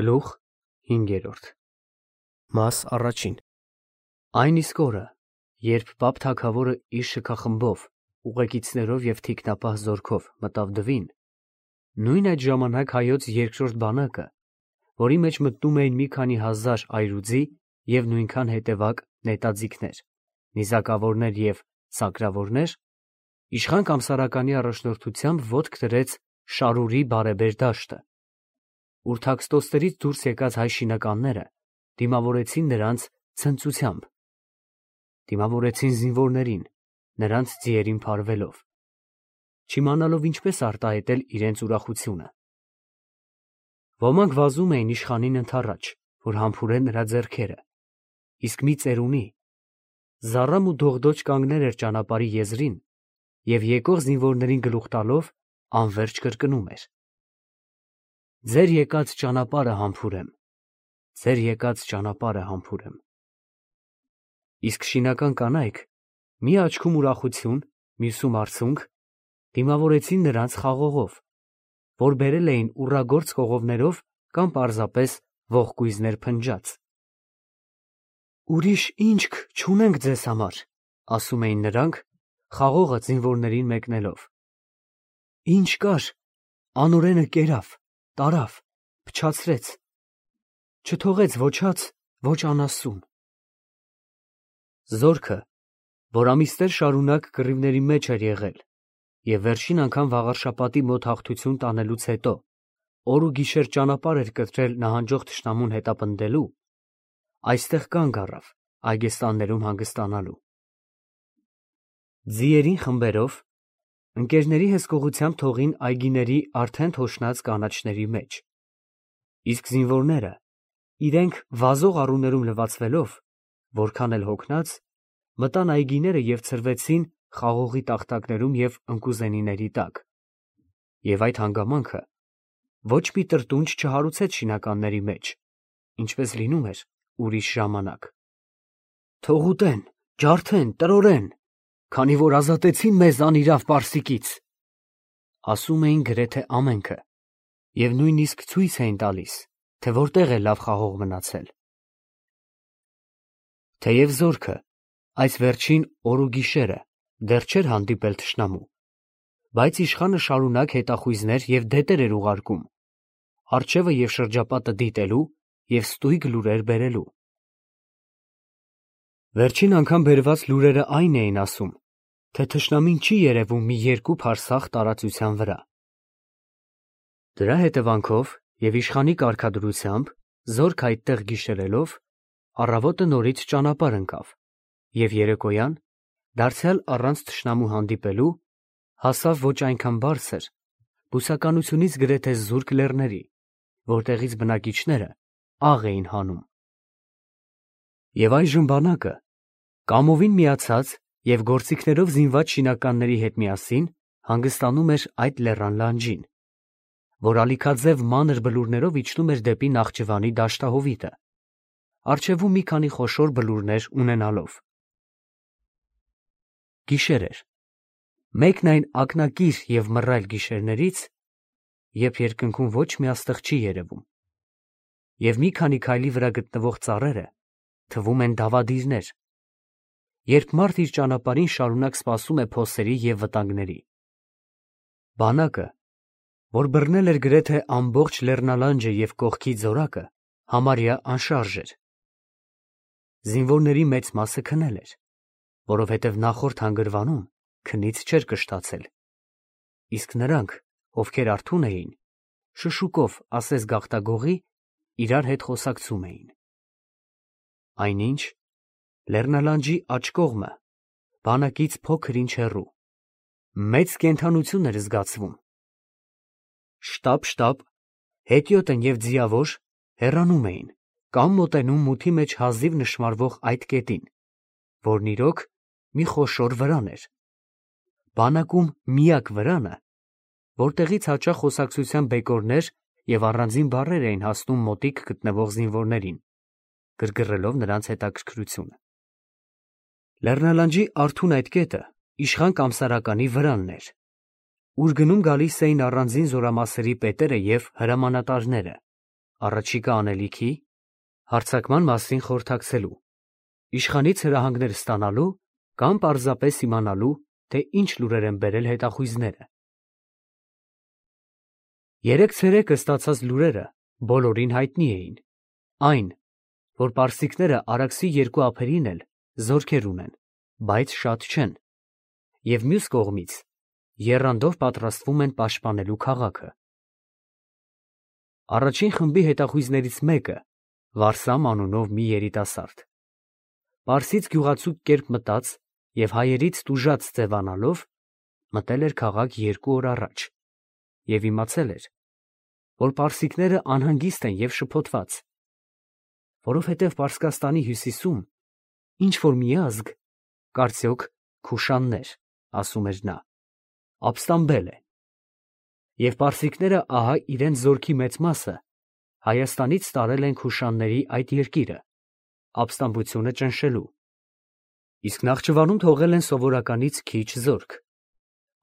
Գլուխ 5. Մաս առաջին. Այն իսկ օրը, երբ Պապ թագավորը իր շքախմբով, ուղեկիցներով և թիկնապահ զորքով մտավ Դվին, նույն այդ ժամանակ հայոց երկրորդ բանակը, որի մեջ մտնում էին մի քանի հազար այրուձի և նույնքան հետևակ նետաձիգներ, նիզակավորներ և սակրավորներ, իշխան Կամսարականի առաջնորդությամբ ոտք դրեց Շարուրի բարեբեր դաշտը, ուր թաքստոցներից դուրս եկած հայ շինականները դիմավորեցին նրանց ցնծությամբ, դիմավորեցին զինվորներին, նրանց ձիերին փարվելով, չիմանալով ինչպես արտահայտել իրենց ուրախությունը։ Ոմանք վազում էին իշխանին ընդառաջ, որ համբուրեն նրա ձեռքերը, իսկ մի ծերունի զառամ ու դողդոջ կանգնել էր ճանապարհի եզրին և եկող զինվորներին գլուխ տալով անվերջ կրկնում էր. «Ձեր եկած ճանապարհը համբուրեմ, ձեր եկած ճանապարհը համբուրեմ»։ Իսկ շինական կանայք, մի աչքում ուրախություն, մյուսում արցունք, դիմավորեցին նրանց խաղողով, որ բերել էին ուռագործ կողովներով կամ պարզապես ողկույզներ փնջած։ «Ուրիշ ինչք չունենք ձեզ համար», ասում էին նրանք, խաղողը զինվորներին մեկնելով։ «Ինչ կար, անօրենը կերավ, տարավ, փչացրեց, չթողեց ոչած, ոչ անասուն»։ Զորքը, որ ամիսներ շարունակ կռիվների մեջ էր եղել և վերջին անգամ վաղարշաբաթի մոտ հաղթություն տանելուց հետո օր ու գիշեր ճանապարհ էր կտրել նահանջող թշնամուն հետապնդելու, այստեղ կանգ առավ այգեստաններում հանգստանալու։ Ձիերին խմբերով, ընկերների հսկողությամբ թողին այգիների արդեն թոշնած կանաչների մեջ, իսկ զինվորները, իրենք վազող առուներում լվացվելով, որքան էլ հոգնած, մտան այգիները և ցրվեցին խաղողի տախտակներում և ընկուզենիների տակ, և այդ հանգամանքը ոչ մի տրտունջ չհարուցեց շինականների մեջ, ինչպես լինում էր ուրիշ ժամանակ։ «Թող ուտեն, ջարդեն, տրորեն, քանի որ ազատեցին մեզ անիրավ պարսիկից», ասում էին գրեթե ամենքը և նույնիսկ ցույց էին տալիս, թե որտեղ է լավ խաղող մնացել։ Թեև զորքը այս վերջին օր ու գիշերը դեռ չէր հանդիպել թշնամու, բայց իշխանը շարունակ հետախույզներ և դետեր էր ուղարկում, առջևը և շրջապատը դիտելու և ստույգ լուրեր բերելու։ Վերջին անգամ բերված լուրերը այն էին ասում, թե թշնամին չի երևում մի երկու փարսաղ տարածության վրա։ Դրա հետևանքով և իշխանի կարգադրությամբ զորք այդտեղ գիշերելով, առավոտը նորից ճանապարհ ընկավ և երեկոյան, դարձյալ առանց թշնամու հանդիպելու, հասավ ոչ այնքան բարձր, բուսականությունից գրեթե զուրկ լեռների, որտեղից բնակիչները աղ էին հանում։ Եվ այժմ բանակը, կամովին միացած և գործիքներով զինված շինականների հետ միասին հանգստանում էր այդ լեռան լանջին, որ ալիքաձև մանր բլուրներով իջնում էր դեպի Նախճիվանի դաշտահովիտը, առջևում մի քանի խոշոր բլուրներ ունենալով։ Գիշեր էր, մեկն այն ակնակիր և մռայլ գիշերներից, երբ երկնքում ոչ մի աստղ չի երևում, և մի քանի քայլի վրա գտնվող ծառերը թվում են դավադիրներ, երբ մարդ իր ճանապարհին շարունակ սպասում է փոսերի և վտանգների։ Բանակը, որ բռնել էր գրեթե ամբողջ լեռնալանջը և կողքի ձորակը, համարյա անշարժ էր։ Զինվորների մեծ մասը քնել էր, որովհետև նախորդ հանգրվանում քնից չէր կշտացել, իսկ նրանք, ովքեր արթուն էին, շշուկով ասես գաղտագողի, իրար հետ խոսակցում էին։ Այնինչ, լեռնալանջի աջ կողմը, բանակից փոքր-ինչ հեռու, մեծ կենդանություն էր զգացվում։ Շտապ, հետիոտն և ձիավոր հեռանում էին կամ մոտենում մութի մեջ հազիվ նշմարվող այդ կետին, որն իրոք մի խոշոր վրան էր, բանակում միակ վրանը, որտեղից հաճախ խոսակցության բեկորներ և առանձին բառեր էին հասնում մոտիկ գտնվող զինվորներին, գրգռելով նրանց հետաքրքրությունը։ Լեռնալանջի արթուն այդ կետը իշխան Կամսարականի վրանն էր, ուր գնում գալիս էին առանձին զորամասերի պետերը և հրամանատարները, առաջիկա անելիքի, հարձակման մասին խորհրդակցելու, իշխանից հրահանգներ ստանալու կամ պարզապես իմանալու, թե ինչ լուրեր են բերել հետախույզները։ Երեկ ցերեկը ստացած լուրերը բոլորին հայտնի էին, այն, որ պարսիկները Արաքսի երկու ափերին էլ զորքեր ունեն, բայց շատ չեն, և մյուս կողմից եռանդով պատրաստվում են պաշտպանելու քաղաքը։ Առաջին խմբի հետախույզներից մեկը Վարսամ անունով մի երիտասարդ, պարսից գյուղացու կերպ մտած և հայերից տուժած ձևանալով, մտել էր քաղաք 2 օր առաջ և իմացել էր, որ պարսիկները անհանգիստ են և շփոթված, որովհետև Պարսկաստանի հյուսիսում ինչ-որ մի ազգ, կարծոք Քուշաններ, ասում էր նա, ապստամբել է, և պարսիկները ահա իրենց զորքի մեծ մասը Հայաստանից տարել են Քուշանների այդ երկիրը, ապստամբությունը ճնշելու, իսկ Նախճիվանում թողել են սովորականից քիչ զորք,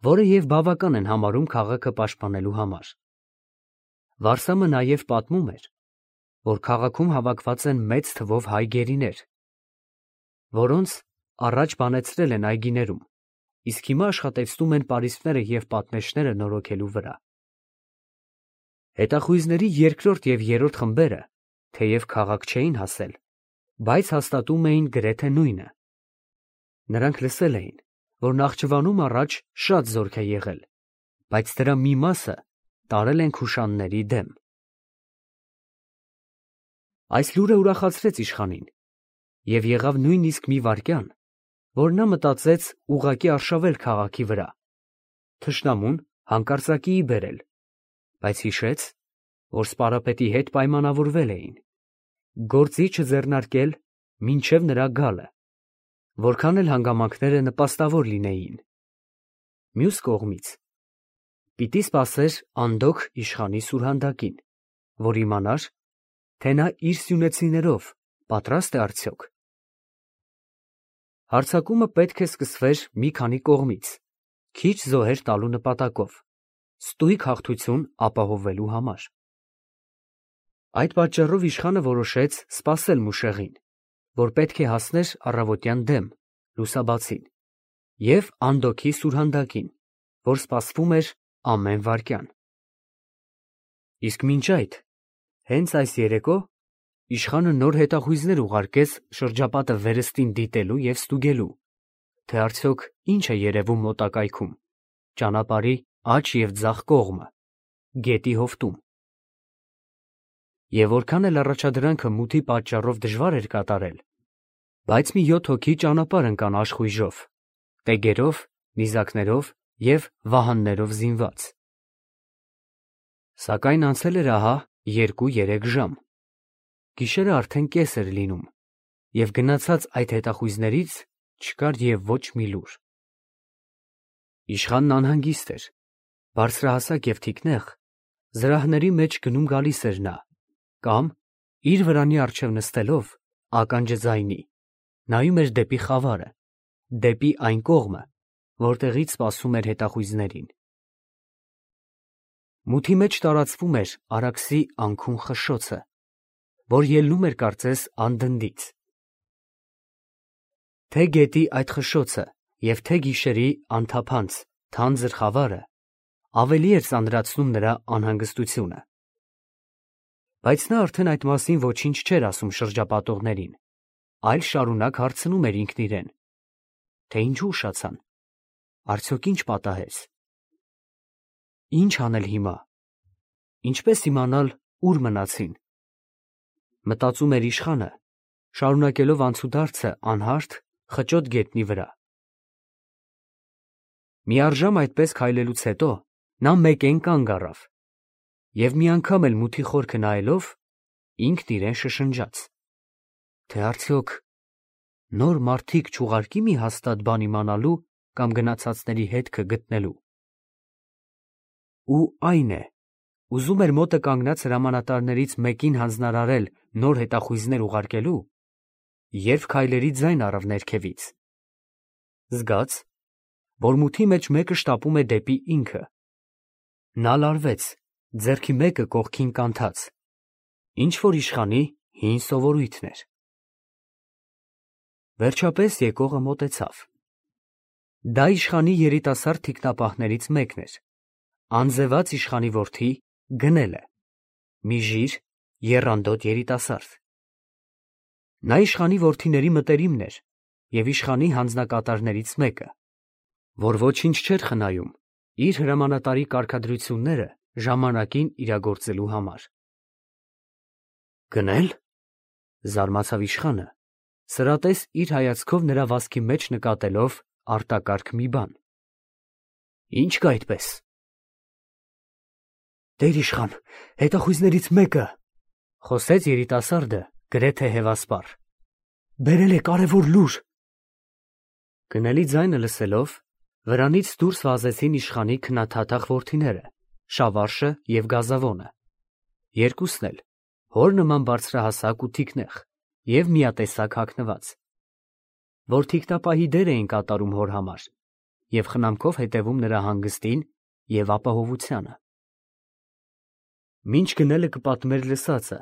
որը և բավական են համարում քաղաքը պաշտպանելու համար։ Վարսամը նաև պատմում էր, որ քաղաքում հավաքված են մեծ թվով հայ գերիներ, որոնց առաջ բանեցրել են այգիներում, իսկ հիմա աշխատեցնում են պարիսպները և պատնեշները նորոգելու վրա։ Հետախույզների երկրորդ և երրորդ խմբերը, թեև քաղաք չէին հասել, բայց հաստատում էին գրեթե նույնը։ Նրանք լսել էին, որ Նախճիվանում առաջ շատ զորք է եղել, բայց դրա մի մասը տարել են Քուշանների դեմ։ Այս լուրը ուրախացրեց իշխանին, և եղավ նույնիսկ մի վայրկյան, որ նա մտածեց ուղղակի արշավել քաղաքի վրա, թշնամուն հանկարծակիի բերել, բայց հիշեց, որ սպարապետի հետ պայմանավորվել էին, գործի չձեռնարկել մինչև նրա գալը, որքան էլ հանգամանքները նպաստավոր լինեին։ Մյուս կողմից, պիտի սպասեր անդոգ իշխանի սուրհանդակին, որ իմանար, թե նա իր սյունեցիներով պատրաստ է արդյոք։ Հարձակումը պետք է սկսվեր մի քանի կողմից, քիչ զոհեր տալու նպատակով, ստույգ հաղթություն ապահովելու համար։ Այդ պատճառով իշխանը որոշեց սպասել Մուշեղին, որ պետք է հասներ առավոտյան դեմ, լուսաբացին, և Անդոքի սուրհանդակին, որ սպասվում էր ամեն վայրկյան։ Իսկ մինչ այդ, հենց այս երեկո, իշխանը նոր հետախույզներ ուղարկեց շրջապատը վերստին դիտելու և ստուգելու, թե արդյոք ինչ է երևում մոտակայքում, ճանապարհի աջ և ձախ կողմը, գետի հովտում։ Եվ որքան էլ առաջադրանքը մութի պատճառով դժվար էր կատարել, բայց մի 7 հոգի ճանապարհ ընկան աշխույժով, տեգերով, նիզակներով և վահաններով զինված։ Սակայն անցել էր ահա 2-3 ժամ, գիշերը արդեն կես էր լինում, և գնացած այդ հետախույզներից չկար և ոչ մի լուր։ Իշխանն անհանգիստ էր, բարձրահասակ և թիկնեղ, զրահների մեջ գնում գալիս էր նա, կամ, իր վրանի առջև նստելով, ականջը ձայնի, նայում էր դեպի խավարը, դեպի այն կողմը, որտեղից սպասում էր հետախույզներին։ Մութի մեջ տարածվում էր Արաքսի անքուն խշշոցը, որ ելնում էր կարծես անդնդից։ Թե գետի այդ խշշոցը և թե գիշերի անթափանց, թանձր խավարը ավելի էր ծանրացնում նրա անհանգստությունը։ Բայց նա արդեն այդ մասին ոչինչ չէր ասում շրջապատողներին, այլ շարունակ հարցնում էր ինքն իրեն, թե ինչու ուշացան, արդյոք ինչ պատահեց, ինչ անել հիմա, ինչպես իմանալ ուր մնացին։ Մտածում էր իշխանը, շարունակելով անցուդարձը անհարթ, խճոտ գետնի վրա։ Միառժամ այդպես քայլելուց հետո նա մեկեն կանգ առավ և մի անգամ էլ մութի խորքը նայելով, ինքն իրեն շշնջաց, թե արդյոք նոր մարդիկ չուղարկի մի հաստատ բան իմանալու կամ գնացածների հետքը գտնելու։ Ու այն է, ուզում էր մոտը կանգնած հրամանատարներից մեկին հանձնարարել նոր հետախույզներ ուղարկելու, երբ քայլերի ձայն առավ ներքևից։ Զգաց, որ մութի մեջ մեկը շտապում է դեպի ինքը։ Նա լարվեց, ձեռքի մեկը կողքին կանթած, Ինչ որ իշխանի հին սովորույթն էր։ Վերջապես եկողը մոտեցավ։ Դա իշխանի երիտասարդ թիկնապահներից մեկն էր, անձևած իշխանի որդի Գնելը, մի ժիր, եռանդոտ երիտասարդ։ Նա իշխանի որդիների մտերիմն էր և իշխանի հանձնակատարներից մեկը, որ ոչինչ չէր խնայում իր հրամանատարի կարգադրությունները ժամանակին իրագործելու համար։ Գնել, զարմացավ իշխանը, սրատես իր հայացքով նրա վազքի մեջ նկատելով արտակարգ մի բան։ Ինչ կա այդպես։ Տեր իշխան, հետախույզներից մեկը, խոսեց երիտասարդը գրեթե հևասպառ, բերել է կարևոր լուր։ Գնելի ձայնը լսելով, վրանից դուրս վազեցին իշխանի քնաթաթախ որդիները, Շավարշը և Գազավոնը, երկուսն էլ հոր նման բարձրահասակ ու թիկնեղ և միատեսակ հագնված, որ թիկնապահի դեր էին կատարում հոր համար և խնամքով հետևում նրա հանգստին և ապահովությանը։ Մինչ Գնելը կպատմեր լսածը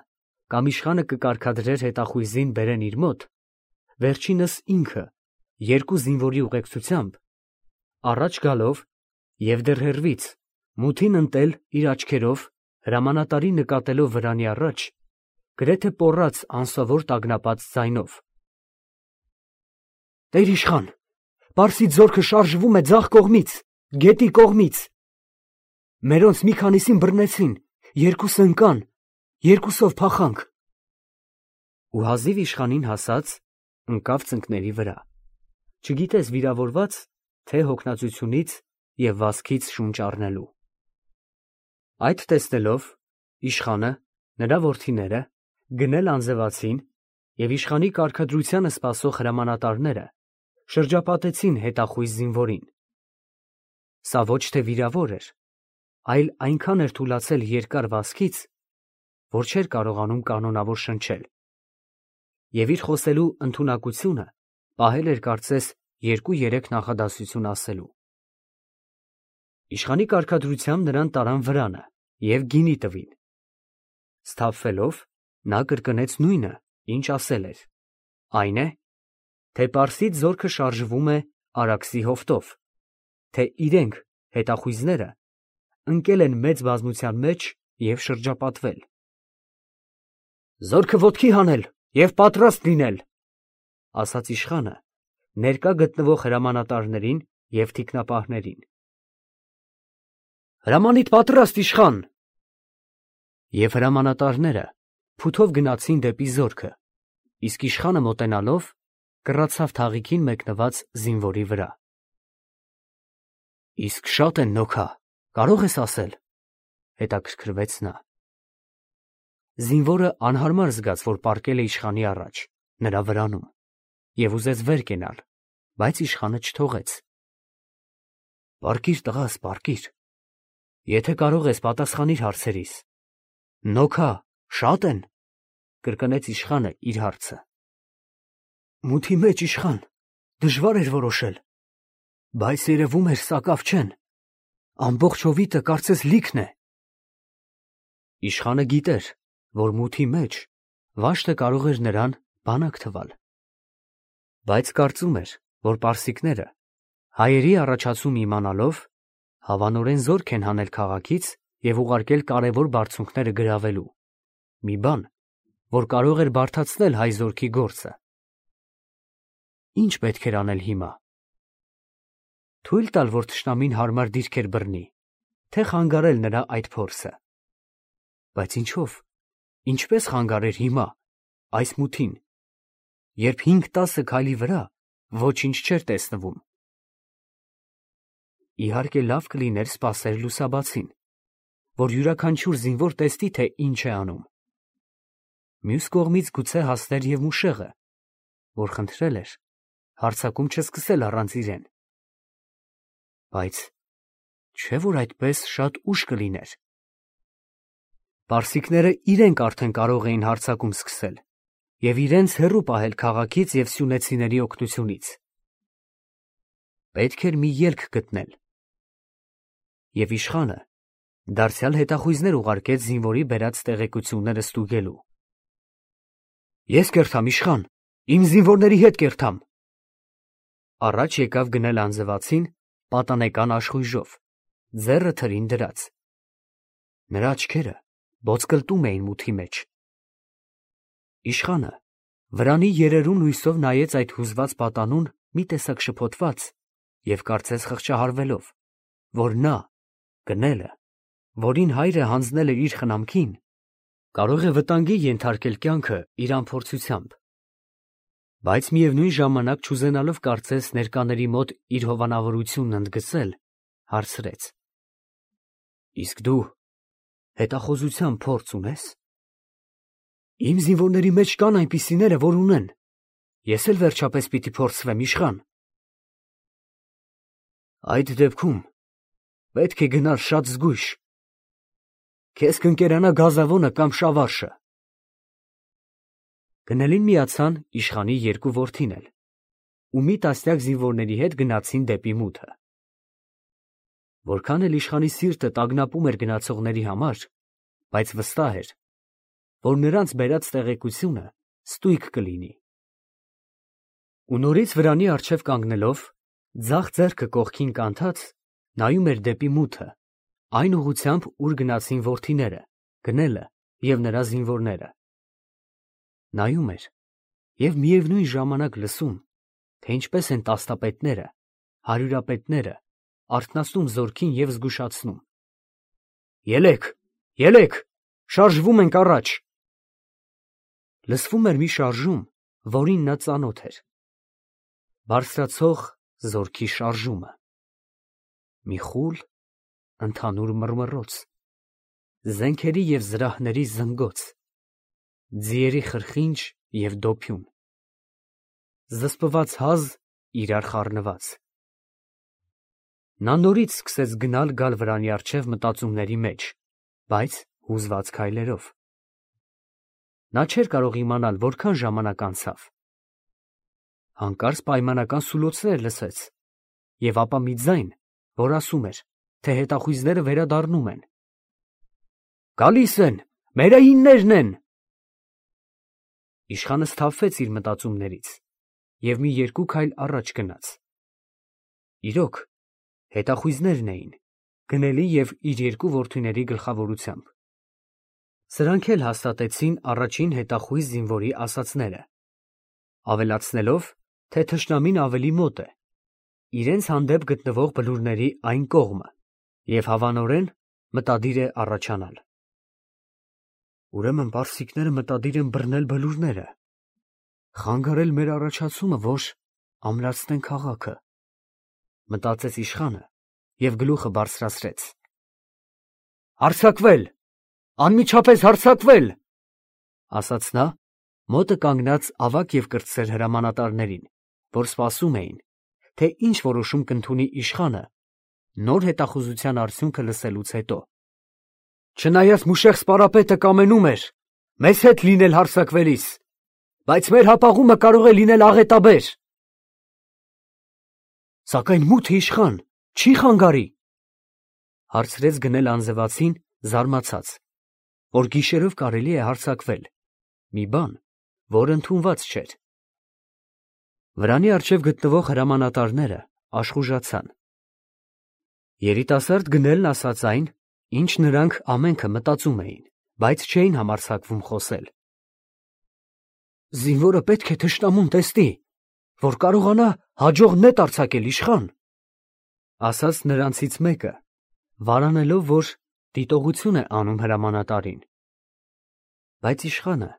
կամ իշխանը կկարգադրեր հետախույզին բերեն իր մոտ, վերջինս ինքը երկու զինվորի ուղեկցությամբ առաջ գալով և դեռ հեռվից մութին ընտել իր աչքերով հրամանատարի նկատելով վրանի առաջ, գրեթե պոռաց անսովոր տագնապած ձայնով. Տեր իշխան, Պարսից զորքը շարժվում է ձախ կողմից, գետի կողմից։ Մերոնց մի քանիսին բռնեցին, երկուսը ընկան, երկուսով փախանք։ Ու հազիվ իշխանին հասած, ընկավ ծնկների վրա, չգիտես վիրավորված, թե հոգնածությունից և վազքից շունչ առնելու։ Այդ տեսնելով, իշխանը, նրա որդիները, Գնել անձևացին և իշխանի կարգադրությանը սպասող հրամանատարները շրջապատեցին հետախույզ զինվորին։ Սա ոչ թե վիրավոր էր, այլ այնքան էր թուլացել երկար վազքից, որ չէր կարողանում կանոնավոր շնչել, և իր խոսելու ընդունակությունը պահել էր կարծես 2-3 նախադասություն ասելու։ Իշխանի կարգադրությամբ նրան տարան վրանը և գինի տվին։ Սթափվելով, նա կրկնեց նույնը, ինչ ասել էր, այն է, թե Պարսից զորքը շարժվում է Արաքսի հովտով, թե իրենք, հետախույզները, ընկել են մեծ բազմության մեջ և շրջապատվել։ Զորքը ոտքի հանել և պատրաստ լինել, ասաց իշխանը ներկա գտնվող հրամանատարներին և թիկնապահներին։ Հրամանիդ պատրաստ, իշխան։ Եվ հրամանատարները փութով գնացին դեպի զորքը, իսկ իշխանը մոտենալով կռացավ թաղիքին մեկնված զինվորի վրա։ Իսկ շատ են նոքա, կարող ես ասել, հետաքրքրվեց նա։ Զինվորը անհարմար զգաց, որ պառկել է իշխանի առաջ, նրա վրանում, և ուզեց վեր կենալ, բայց իշխանը չթողեց։ Պառկիր, տղաս, պառկիր, եթե կարող ես, պատասխանիր հարցերիս։ Նոքա, շատ են, կրկնեց իշխանը իր հարցը։ Մութի մեջ, իշխան, դժվար էր որոշել, բայց երևում էր սակավ չեն, ամբողջ հովիտը կարծես լիքն է։ Իշխանը գիտեր, որ մութի մեջ վաշտը կարող էր նրան բանակ թվալ, բայց կարծում էր, որ պարսիկները, հայերի առաջացում իմանալով, հավանորեն զորք են հանել քաղաքից և ուղարկել կարևոր բարձունքները գրավելու, մի բան, որ կարող էր բարդացնել հայ զորքի գործը։ Ինչ պետք էր անել հիմա։ Թույլ տալ, որ թշնամին հարմար դիրքեր բռնի, թե խանգարել նրա այդ փորձը։ Բայց ինչով, ինչպես խանգարեր հիմա, այս մութին, երբ 5-10 քայլի վրա ոչինչ չէր տեսնվում։ Իհարկե լավ կլիներ սպասել լուսաբացին, որ յուրաքանչյուր զինվոր տեսնի, թե ինչ է անում։ Մյուս կողմից գուցե հասներ և Մուշեղը, որ խնդրել էր հարձակում չսկսել առանց իրեն։ Բայց չէ՞ որ այդպես շատ ուշ կլիներ։ Պարսիկները իրենք արդեն կարող էին հարձակում սկսել և իրենց հեռու պահել քաղաքից և սյունեցիների օգնությունից։ Պետք էր մի ելք գտնել։ Եվ իշխանը դարձյալ հետախույզներ ուղարկեց զինվորի բերած տեղեկությունները ստուգելու։ Ես կերթամ, իշխան, իմ զինվորների հետ կերթամ։ Առաջ եկավ գնել անձվածին պատանեկան աշխույժով, ձեռը թրին դրած։ Նրա աչքերը ոսկլտում էին մութի մեջ։ Իշխանը վրանի երերուն լույսով նայեց այդ հուզված պատանուն մի տեսակ շփոթված և կարծես խղճահարվելով, որ նա գնելը, որին հայրը հանձնել էր իր խնամքին, կարող է վտանգի ենթարկել կյանքը իր անփորձությամբ, բայց միևնույն ժամանակ չուզենալով կարծես ներկաների մոտ իր հովանավորությունն ընդգծել, հարցրեց. Իսկ դու հետախուզության փորձ ունես։ Իմ զինվորների մեջ կան այնպիսիները, որ ունեն, ես էլ վերջապես պիտի փորձվեմ, իշխան։ Այդ դեպքում պետք է գնալ շատ զգույշ, քեզ կընկերանա գազավոնը կամ շավարշը։ Գնելին միացան իշխանի երկու որդին էլ, ու մի տասնյակ զինվորների հետ գնացին դեպի մութը։ Որքան էլ իշխանի սիրտը տագնապում էր գնացողների համար, բայց վստահ էր, որ նրանց բերած տեղեկությունը ստույգ կլինի։ Ու նորից վրանի առջև կանգնելով, ձախ ձեռքը կողքին կանթած, նայում էր դեպի մութը, այն ուղղությամբ, ուր գնացին որդիները, գնելը և նրա զինվորները։ Նայում էր և միևնույն ժամանակ լսում, թե ինչպես են տասնապետները, հարյուրապետները արթնացնում զորքին և զգուշացնում. Ելեք, ելեք, շարժվում ենք առաջ։ Լսվում էր մի շարժում, որին նա ծանոթ էր. բարձրացող զորքի շարժումը, մի խուլ, ընդհանուր մռմռոց, զենքերի և զրահների զնգոց, ձիերի խրխինջ և դոփյուն, զսպված հազ իրար խառնված։ Նա նորից սկսեց գնալ վրանի առջև մտածումների մեջ, բայց հուզված քայլերով։ Նա չէր կարող իմանալ որքան ժամանակ անցավ։ Հանկարծ պայմանական սուլոցներ լսեց, և ապա մի ձայն, որ ասում էր, թե հետախույզները վերադառնում են։ Գալիս են, մերայիններն են։ Իշխանը սթափվեց իր մտածումներից և մի երկու քայլ առաջ գնաց։ Իրոք, հետախույզներն էին, գնելի և իր երկու որդիների գլխավորությամբ։ Սրանք էլ հաստատեցին առաջին հետախույզ զինվորի ասածները, ավելացնելով, թե թշնամին ավելի մոտ է, իրենց հանդեպ գտնվող բլուրների այն կողմը, և հավանորեն մտադիր է առաջանալ։ Ուրեմն պարսիկները մտադիր են բռնել բլուրները, խանգարել մեր առաջացումը, որ ամրացնեն քաղաքը, մտածեց իշխանը և գլուխը բարձրացրեց։ Հարձակվել, անմիջապես հարձակվել, ասաց նա, մոտը կանգնած ավագ և կրտսեր հրամանատարներին, որ սպասում էին, թե ինչ որոշում կընդունի իշխանը նոր հետախուզության արդյունքը լսելուց հետո։ Չնայած Մուշեղ սպարապետը կամենում էր մեզ հետ լինել հարձակվելիս, բայց մեր հապաղումը կարող է լինել աղետաբեր։ Սակայն մութը, իշխան, չի խանգարի, հարցրեց գնել անձվածին զարմացած, որ գիշերով կարելի է հարձակվել, մի բան, որ ընդունված չէր։ Վրանի առջև գտնվող հրամանատարները աշխուժացան։ Երիտասարդ գնելն ասաց այն, ինչ նրանք ամենքը մտածում էին, բայց չէին համարձակվում խոսել։ Զինվորը պետք է թշնամուն տեսնի, որ կարողանա հաջող նետ արձակել, իշխան, ասաց նրանցից մեկը, վարանելով, որ դիտողություն է անում հրամանատարին։ Բայց իշխանը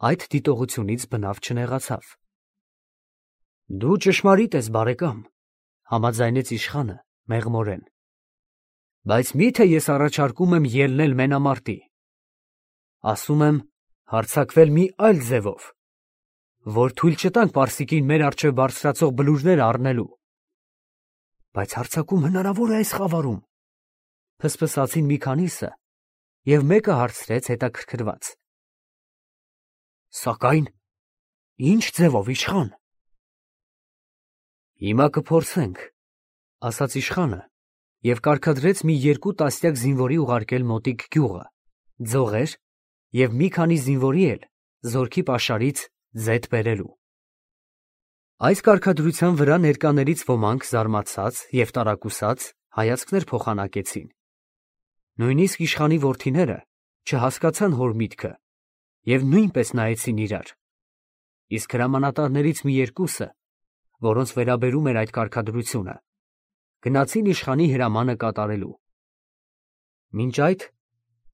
այդ դիտողությունից բնավ չնեղացավ։ Դու ճշմարիտ ես, բարեկամ, համաձայնեց իշխանը մեղմորեն, բայց մի՞թե ես առաջարկում եմ ելնել մենամարտի։ Ասում եմ հարձակվել մի այլ ձևով, որ թույլ չտանք պարսիկին մեր առջև բարձրացող բլուրները առնելու։ Բայց հարձակում հնարավոր է այս խավարում, փսփսացին մի քանիսը, և մեկը հարցրեց հետաքրքրված. Սակայն ի՞նչ ձևով, իշխան։ Հիմա կփորձենք, ասաց իշխանը և կարգադրեց մի երկու տասնյակ զինվորի ուղարկել մոտիկ գյուղը, ձողեր և մի քանի զինվորի էլ զորքի պաշարից ձեթ բերելու։ Այս կարգադրության վրա ներկաներից ոմանք զարմացած և տարակուսած հայացքներ փոխանակեցին։ Նույնիսկ իշխանի որդիները չհասկացան հոր միտքը և նույնպես նայեցին իրար, իսկ հրամանատարներից մի երկուսը, որոնց վերաբերում էր այդ կարգադրությունը, գնացին իշխանի հրամանը կատարելու։ Մինչ այդ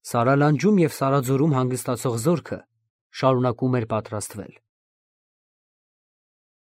Սարալանջում և Սարաձորում հանգստացող զորքը շարունակում էր պատրաստվել։